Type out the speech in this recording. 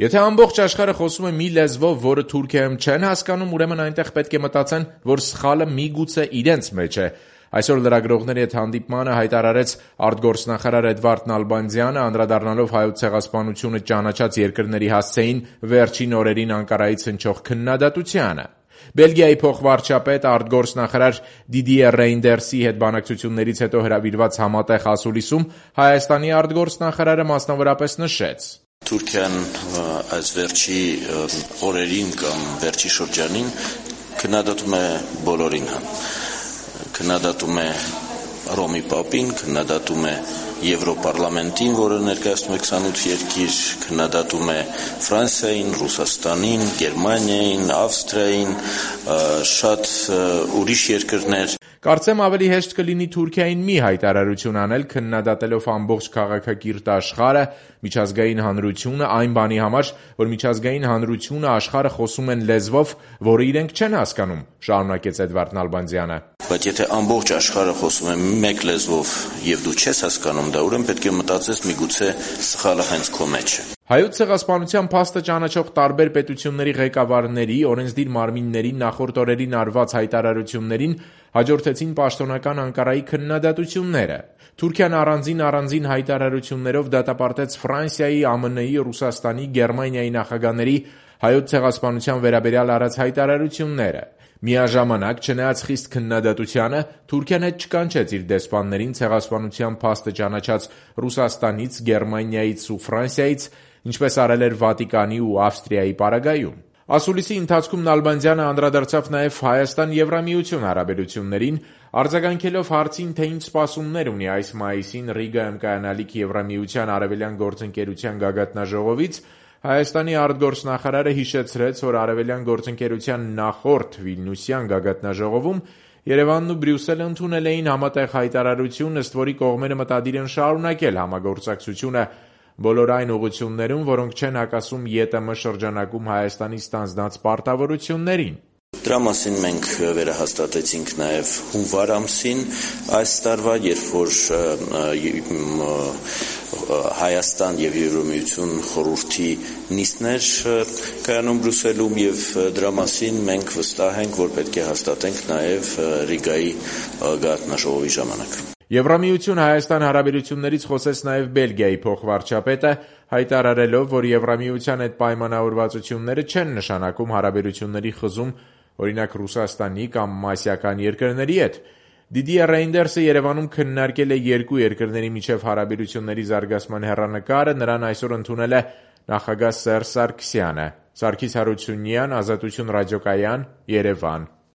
Եթե ամբողջ աշխարհը խոսում է մի լեզվով, որը Թուրքիայում չեն հասկանում, ուրեմն այնտեղ պետք է մտածեն, որ սխալը միգուցե իրենց մեջ է։ Այսօր լրագրողների հետ հանդիպմանը հայտարարեց արտգործնախարար Էդվարդ Նալբանդյանը, անդրադառնալով Հայոց ցեղասպանությունը ճանաչած երկրների հասցեին վերջին օրերին Անկարայից հնչող քննադատությանը։ Բելգիայի փոխվարչապետ արտգործնախարար Դիդիե Ռեյնդերսի հետ բանակցություններից հետո հրավիրված համատեղ ասուլիսում Հայաստանի արտգործնախարարը մասնավորապես նշեց. Թուրքիան այս վերջի օրերին կամ վերջի շրջանին քննադատում է բոլորին, քննադատում է Ռոմի Պապին, քննադատում է Եվրոպարլամենտին, որը ներկայացնում է 28 երկիր, քննադատում է Ֆրանսիային, Ռուսաստանին, Գերմանիային, Ավստրիային, շատ ուրիշ երկրներ։ Կարծեմ ավելի հեշտ կլինի Թուրքիային մի հայտարարություն անել, քննադատելով ամբողջ քաղաքակիրթ աշխարհը, միջազգային հանրությունը այն բանի համար, որ միջազգային հանրությունը աշխարհը խոսում են լեզվով, որը իրենք չեն հասկանում, շարունակեց Էդվարդ Նալբանդյանը։ Բայց եթե ամբողջ աշխարհը խոսում է մեկ լեզվով եւ դու չես հասկանում դա, ուրեմն պետք է մտածես միգուցե սխալը հենց քո մեջ է։ Հայոց ցեղասպանության փաստը ճանաչող տարբեր պետությունների ղեկավարների, օրենսդիր մարմինների նախորդ օրերին արված հայտարարություններին հաջորդեցին պաշտոնական Անկարայի քննադատությունները։ Թուրքիան առանձին հայտարարություններով դատապարտեց Ֆրանսիայի, ԱՄՆ-ի, Ռուսաստանի, Գերմանիայի նախագահների հայոց ցեղասպանության վերաբերյալ արած հայտարարությունները։ Միաժամանակ, չնայած խիստ քննադատությանը, Թուրքիան հետ չկանչեց իր դեսպաններին ցեղասպանության փաստը ճանաչած Ռուսաստանից, Գերմանիայից ու Ֆրանսիայից, ինչպես արել էր Վատիկանի ու Ավստրիայի պարագայում։ Ասուլիսի ընթացքում Նալբանդյանը անդրադարձավ նաև Հայաստան-Եվրամիություն հարաբերություններին, արձագանքելով հարցին, թե ինչ սպասումներ ունի այս մայիսին Ռիգայում կայանալիք Եվրամիության արևելյան գործընկերության գագաթնաժողովից, Հայաստանի արտգործնախարարը հիշեցրեց, որ Արևելյան գործընկերության նախորդ Վիլնյուսյան գագաթնաժողովում Երևանն ու Բրյուսելը ընդունել էին համատեղ հայտարարություն, ըստ որի կողմերը մտադիր են շարունակել համագործակցությունը բոլոր այն ուղղություններում, որոնք չեն հակասում ԵՏՄ շրջանակում Հայաստանի ստանձնած պարտավորություններին։ Դրա մասին մենք վերահաստատեցինք նաև հունվար ամսին այս տարվա, երբ որ Հայաստան եւ Եվրամիություն խորհրդի նիստներ կայանում Բրյուսելում եւ դրա մասին մենք վստահ ենք, որ պետք է հաստատենք նաև Ռիգայի գագաթնաժողովի ժամանակ։ Եվրամիություն-Հայաստան հարաբերություններից խոսեց նաև Բելգիայի փոխվարչապետը, հայտարարելով, որ Եվրամիության այդ պայմանավորվածությունները չեն նշանակում հարաբերությունների խզում, օրինակ Ռուսաստանի կամ ասիական երկրների հետ։ Դիդիե Ռեյնդերսը Երևանում քննարկել է երկու երկրների միջև հարաբերությունների զարգացման հեռանկարը, նրան այսօր ընդունել է նախագահ Սերժ Սարգսյանը։ Սարգիս Հարությունյան, Ազատություն ռադիոկայան, Երևան։